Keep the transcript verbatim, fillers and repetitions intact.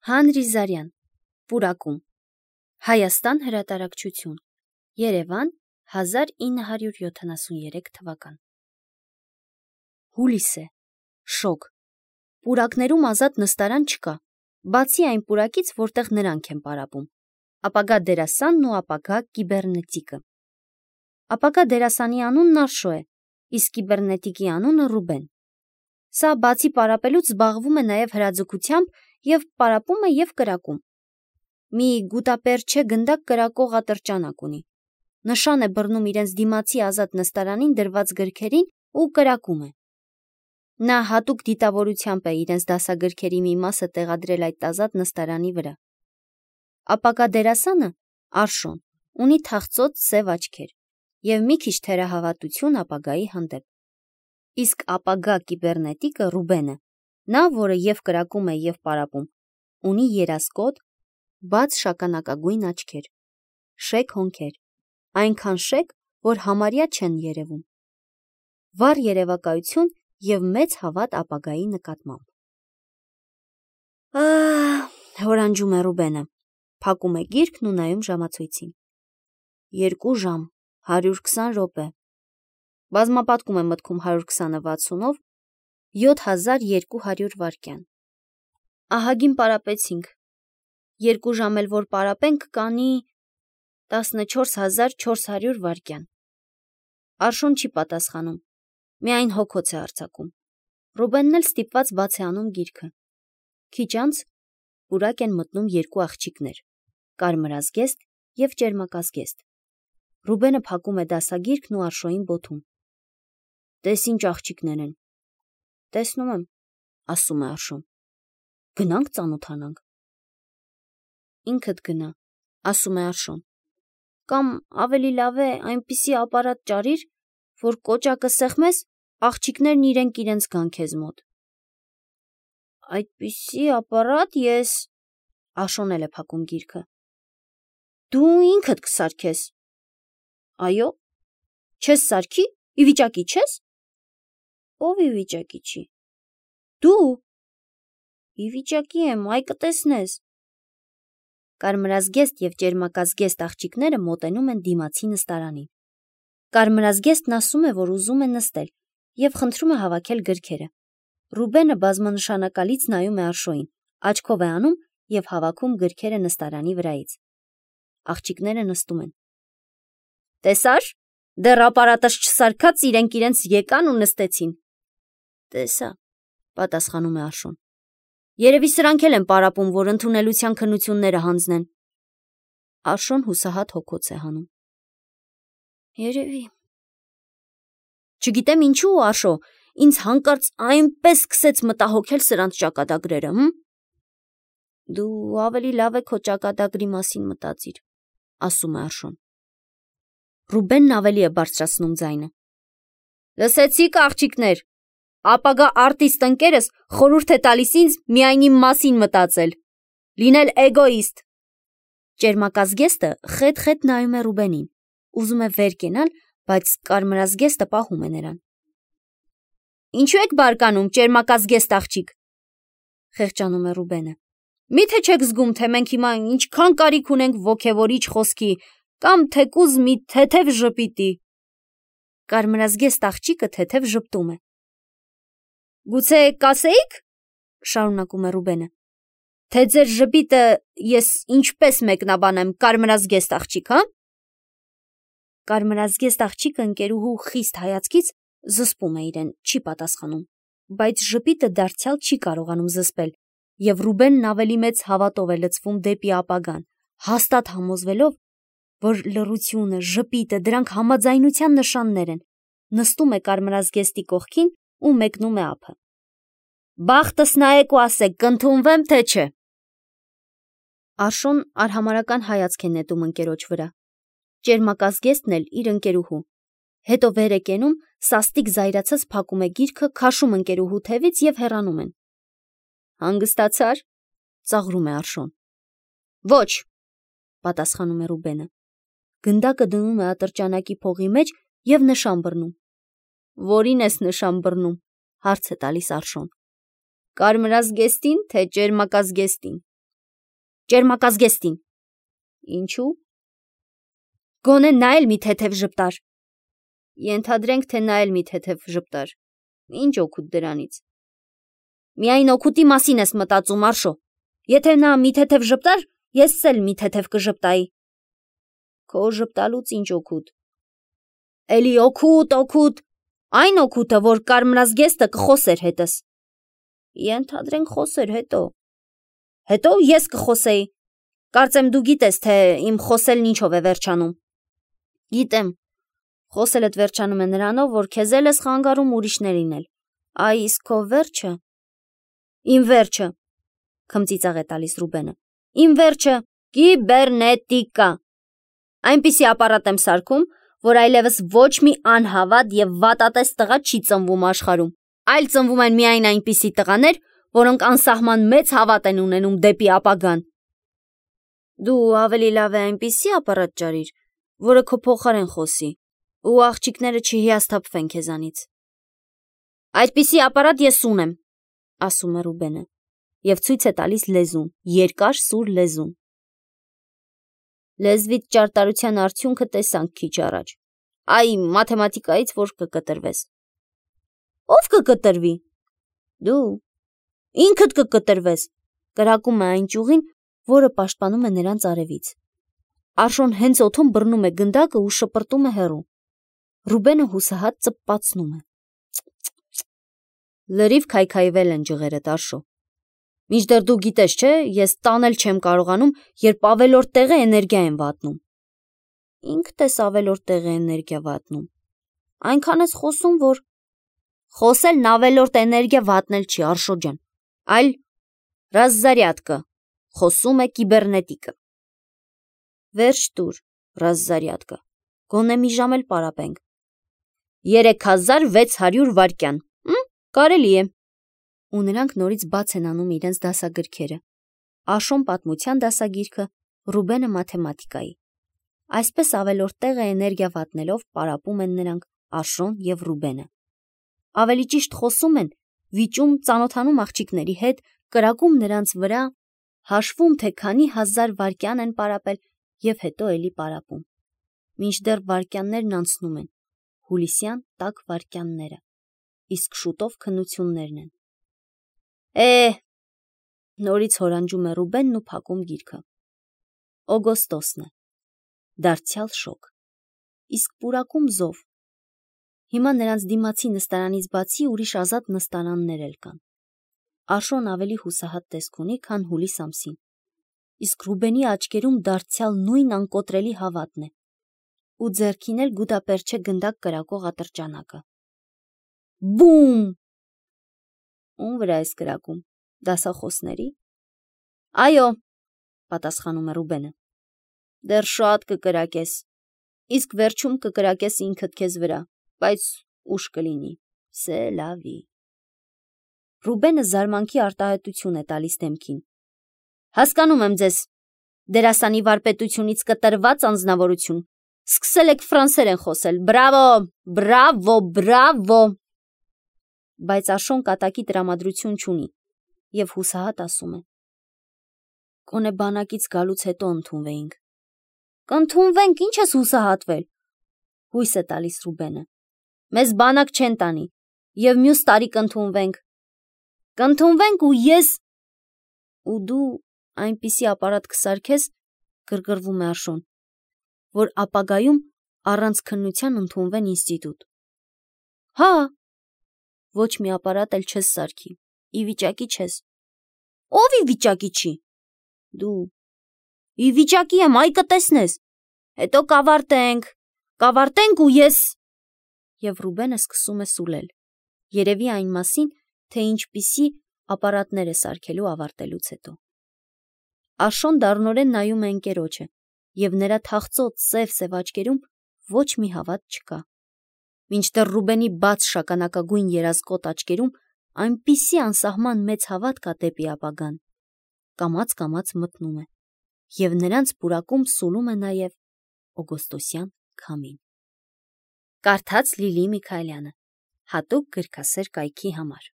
Հանրիզարյան, պուրակում, Հայաստան հրատարակչություն, Երևան, հազար ինը հարյուր յոթանասուներեք թվական։ Հուլիս է, շոգ, պուրակներում ազատ նստարան չկա, բացի այն պուրակից, որտեղ նրանք են պարապում, ապագա դերասանն ու ապագա կիբեռնետիկը։ Ապագա դերասանի անունն Արշո է, իսկ կիբեռնետիկի անունը Ռուբեն։ Սա բացի պարապելուց զբաղվում է նաև հրաձգությամբ և պարապում է և կրակում։ Մի գուտապերչե գնդակ կրակող ատրճանակ ունի։ Նշան է բռնում իրենց դիմացի ազատ նստարանին դրված գրքերին ու կրակում է։ Նա հատուկ դիտավորությամբ է իրենց դասագրքերի մի մասը տեղադրել այդ ազատ նստարանի վրա։ Ապագա դերասանը Արշոն ունի թախծոտ սև աչքեր և մի քիչ թերահավատություն ապագայի հանդեպ։ Իսկ ապագա կիբեռնետիկը Ռուբենը, նա, որը և կրակում է և պարապում, ունի երասկոտ, բաց շագանակագույն աչքեր, շեկ հոնքեր, այնքան շեկ, որ համարյա չեն երևում, վառ երևակայություն և մեծ հավատ ապագայի նկատմամբ։ Ահ, հորանջում է Ռուբենը, փակում է գիրքն ու նայում ժամացույցին։ Երկու ժամ, հարյուր քսան րոպե։ Բազմապատկում է մտքում հարյուր քսանը վաթսունով, յոթ հազար երկու հարյուր վայրկյան։ Ահագին պարապեցինք։ Երկու ժամ էլ որ պարապենք, կանի տասնչորս հազար չորս հարյուր վայրկյան։ Արշուն չի պատասխանում, միայն հոգոց է արձակում։ Ռուբենն էլ ստիպված բաց է անում գիրքը։ Քիչ անց պուրակ են մտնում երկու աղջիկներ՝ կարմրազգեստ և ճերմակազգեստ։ Ռուբենը փակում է դասագիրքն ու Արշոյին բոթում։ Տես ինչ աղջիկներ են։ Տեսնում եմ, ասում է Արշուն։ Գնանք ծանոթանանք։ Ինքդ գնա, ասում է Արշուն։ Կամ ավելի լավ է այնպիսի ապարատ ճարիր, որ կոճակը սեղմես, աղջիկներն իրենք իրենց գան քեզ մոտ։ Այդպիսի ապարատ ես… Արշոն էլ է փակում գիրքը։ Դու ինքդ կսարքես։ Այո, չես սարքի, ի վիճակի չես։ Ով ի վիճակի չի։ Դու։ Ի վիճակի եմ, այ կտեսնես։ Կարմրազգեստ և ճերմակազգեստ աղջիկները մոտենում են դիմացի նստարանին։ Կարմրազգեստն ասում է, որ ուզում է նստել և խնդրում է հավաքել գրքերը։ Ռուբենը բազմանշանակալից նայում է Արշոյին, աչքով է անում և հավաքում գրքերը նստարանի վրայից։ Աղջիկները նստում են։ Տեսա՞ր, դեռ ապարատս չսարքած իրենք իրենց եկան ու նստեցին։ Տեսա, պատասխանում է Արշուն։ Երևի սրանք էլ են պարապում, որ ընդունելության քննությունները հանձնեն։ Արշոն հուսահատ հոգոց է հանում։ Երևի։ Չգիտեմ ինչու, Արշո, ինձ հանկարծ այնպես սկսեց մտահոգել սրանց ճակատագրերը, հմ։ Դու ավելի լավ է քո ճակատագրի մասին մտածիր, ասում է Արշուն։ Ռուբենն ավելի է բարձրացնում ձայնը։ Լսեցի՞ք, աղջիկներ, ապագա արտիստ ընկերս խորհուրդ է տալիս ինձ միայն իմ մասին մտածել, լինել էգոիստ։ Ճերմակազգեստը խետ-խետ նայում է Ռուբենին, ուզում է վեր կենալ, բայց կարմրազգեստը պահում է նրան։ Ինչու եք բարկանում, ճերմակազգեստ աղջիկ, խեղճանում է Ռուբենը։ Մի՞թե չեք զգում, թե մենք հիմա ինչքան կարիք ունենք ոգևորիչ խոսքի կամ թեկուզ մի թեթև ժպիտի։ Կարմրազգեստ աղջիկը թեթև ժպտում է։ Գուցե կասեիք, շարունակում է Ռուբենը, թե ձեր ժպիտը ես ինչպես մեկնաբանեմ, կարմրազգեստ աղջիկ, հա։ Կարմրազգեստ աղջիկը ընկերուհու խիստ հայացքից զսպում է իրեն, չի պատասխանում, բայց ժպիտը դարձյալ չի կարողանում զսպել, և Ռուբենն ավելի մեծ հավատով է լցվում դեպի ապագան, հաստատ համոզվելով, որ լռությունը, ժպիտը, դրանք համաձայնության նշաններ են, նստում է կարմրազգեստի կողքին ու մեկնում է ափը։ Բախտս նայեք ու ասեք, կընդունվեմ, թե չէ։ Արշոն արհամարհական հայացք է նետում ընկերոջ վրա։ Ճերմակազգեստն էլ իր ընկերուհու։ Հետո վեր է կենում, սաստիկ զայրացած փակում է գիրքը, քաշում ընկերուհու թևից և հեռանում են։ Հանգստացա՞ր, ծաղրում է Արշոն։ Ոչ, պատասխանում է Ռուբենը։ Գնդակը դնում է ատրճանակի փողի մեջ և նշան բռնում։ Որին ես նշան բռնում, հարց է տալիս Արշոն։ Կարմրազգեստին, թե ճերմակազգեստին։ ճերմակազգեստին։ Ինչու՞։ Գոնե նա էլ մի թեթև ժպտար։ Ենթադրենք, թե նա էլ մի թեթև ժպտար։ Ինչ օգուտ դրանից։ Միայն օգուտի մասին ես մտածում, Արշո։ Եթե նա մի թեթև ժպտար, ես էլ մի թեթև կժպտայի։ Քո ժպտալուց ինչ օգուտ։ Էլի օգուտ, օգուտ, այն օգուտը, որ կարմրազգեստը կխոսեր հետս։ Ենթադրենք խոսեր հետո։ Հետո ես կխոսեի։ Կարծեմ դու գիտես, թե իմ խոսելն ինչով է վերջանում։ Գիտեմ, խոսելդ վերջանում է նրանով, որ քեզ էլ ես խանգարում ուրիշներին էլ։ Այ իսկ քո վերջը։ Իմ վերջը, քմծիծաղ է տալիս Ռուբենը։ Իմ վերջը կիբեռնետիկա։ Այնպիսի ապարատ եմ սարքում, որ այլևս ոչ մի անհավատ եւ վատատես տղա չի ծնվում աշխարհում, այլ ծնվում են միայն այնպիսի տղաներ, որոնք անսահման մեծ հավատ են ունենում դեպի ապագան։ Դու ավելի լավ է այնպիսի ապարատ ճարիր, որը քո փոխարեն խոսի, ու աղջիկները չհիասթափվեն քեզանից։ Այդպիսի ապարատ ես ունեմ, ասում է Ռուբենը, եւ ցույց է տալիս լեզուն, երկար սուր լեզուն։ Լեզվիդ ճարտարության արդյունքը տեսանք քիչ առաջ։ Այ մաթեմատիկայից որ կկտրվես։ Ո՞վ կկտրվի։ Դու։ Ինքդ կկտրվես, կրակում է այն ճյուղին, որը պաշտպանում է նրանց արևից։ Արշոն հենց օդում բռնում է գնդակը ու շպրտում է հեռու։ Ռուբենը հուսահատ ծպպացնում է։ Լրիվ քայքայվել են ջղերդ, Արշո։ Մինչդեռ դու գիտես, չէ, ես տանել չեմ կարողանում, երբ ավելորդ տեղ է էներգիա եմ վատնում։ Ինքդ ես ավելորդ տեղ է էներգիա վատնում։ Այնքան ես խոսում, որ խոսելն ավելորդ էներգիա վատնել չի, Արշո ջան, այլ ռազզարյատկը, խոսում է կիբեռնետիկը։ Վերջ տուր, ռազզարյատկը, գոնե մի ժամ էլ պարապենք։ երեք հազար վեց հարյուր վայրկյան, կարելի է։ Ու նրանք նորից բաց են անում իրենց դասագրքերը։ Աշոն պատմության դասագիրքը, Ռուբենը մաթեմատիկայի։ Այսպես ավելորդ տեղը էներգիա վատնելով պարապում են նրանք Աշոն և Ռուբենը։ Ավելի ճիշտ խոսում են, վիճում, ծանոթանում աղջիկների հետ, կրակում նրանց վրա, հաշվում, թե քանի հազար վայրկյան են պարապել և հետո էլի պարապում։ Մինչդեռ վայրկյաններն անցնում են, հուլիսյան տաք վայրկյանները, իսկ շուտով քննություններն են։ Է, նորից հորանջում է Ռուբենն ու փակում գիրքը։ Օգոստոսն է։ Դարձյալ շոգ։ Իսկ պուրակում զով։ Հիմա նրանց դիմացի նստարանից բացի ուրիշ ազատ նստարաններ էլ կան։ Աշոն ավելի հուսահատ տեսք ունի, քան հուլիս ամսին։ Իսկ Ռուբենի աչքերում դարձյալ նույն անկոտրելի հավատն է։ Ու ձեռքին էլ գուտապերչե գնդակ կրակող ատրճանակը։ Բում։ Ում վրա ես կրակում, դասախոսների։ Այո, պատասխանում է Ռուբենը։ Դեռ շատ կկրակես, իսկ վերջում կկրակես ինքդ քեզ վրա, բայց ուշ կլինի, սե լավի։ Ռուբենը զարմանքի արտահայտություն է տալիս դեմքին։ Հասկանում եմ ձեզ, դերասանի վարպետությունից կտրված անձնավորություն, սկսել եք ֆրանսերեն խոսել, բրավո, բրավո, բրավո։ Բայց Աշոն կատակի տրամադրություն չունի և հուսահատ ասում է. Գոնե բանակից գալուց հետո ընդունվեինք։ Կընդունվենք, ինչ ես հուսահատվել։ Հույս է տալիս Ռուբենը։ Մեզ բանակ չեն տանի և մյուս տարի կընդունվենք։ Կընդունվենք ու ես ու դու այնպիսի ապարատ կսարքես, գրգռվում է Աշոն, որ ապագայում առանց քննության ընդունվեն ինստիտուտ։ Հա, ոչ մի ապարատ էլ չես սարքի, ի վիճակի չես։ Ով ի վիճակի չի։ Դու։ Ի վիճակի եմ, այ կտեսնես։ Հետո կավարտենք, կավարտենք ու ես։ Եվ Ռուբենը սկսում է սուլել, երևի այն մասին, թե ինչպիսի ապարատներ է սարքելու ավարտելուց հետո։ Աշոն դառնորեն նայում է ընկերոջը, և նրա թախծոտ սև-սև աչքերում ոչ մի հավատ չկա։ Մինչդեռ Ռուբենի բաց շագանակագույն երազկոտ աչքերում այնպիսի անսահման մեծ հավատ կա դեպի ապագան, կամաց-կամաց մթնում է, և նրանց պուրակում սուլում է նաև օգոստոսյան քամին։ Կարդաց Լիլի Միքայելյանը, հատուկ գրքասեր կայքի համար։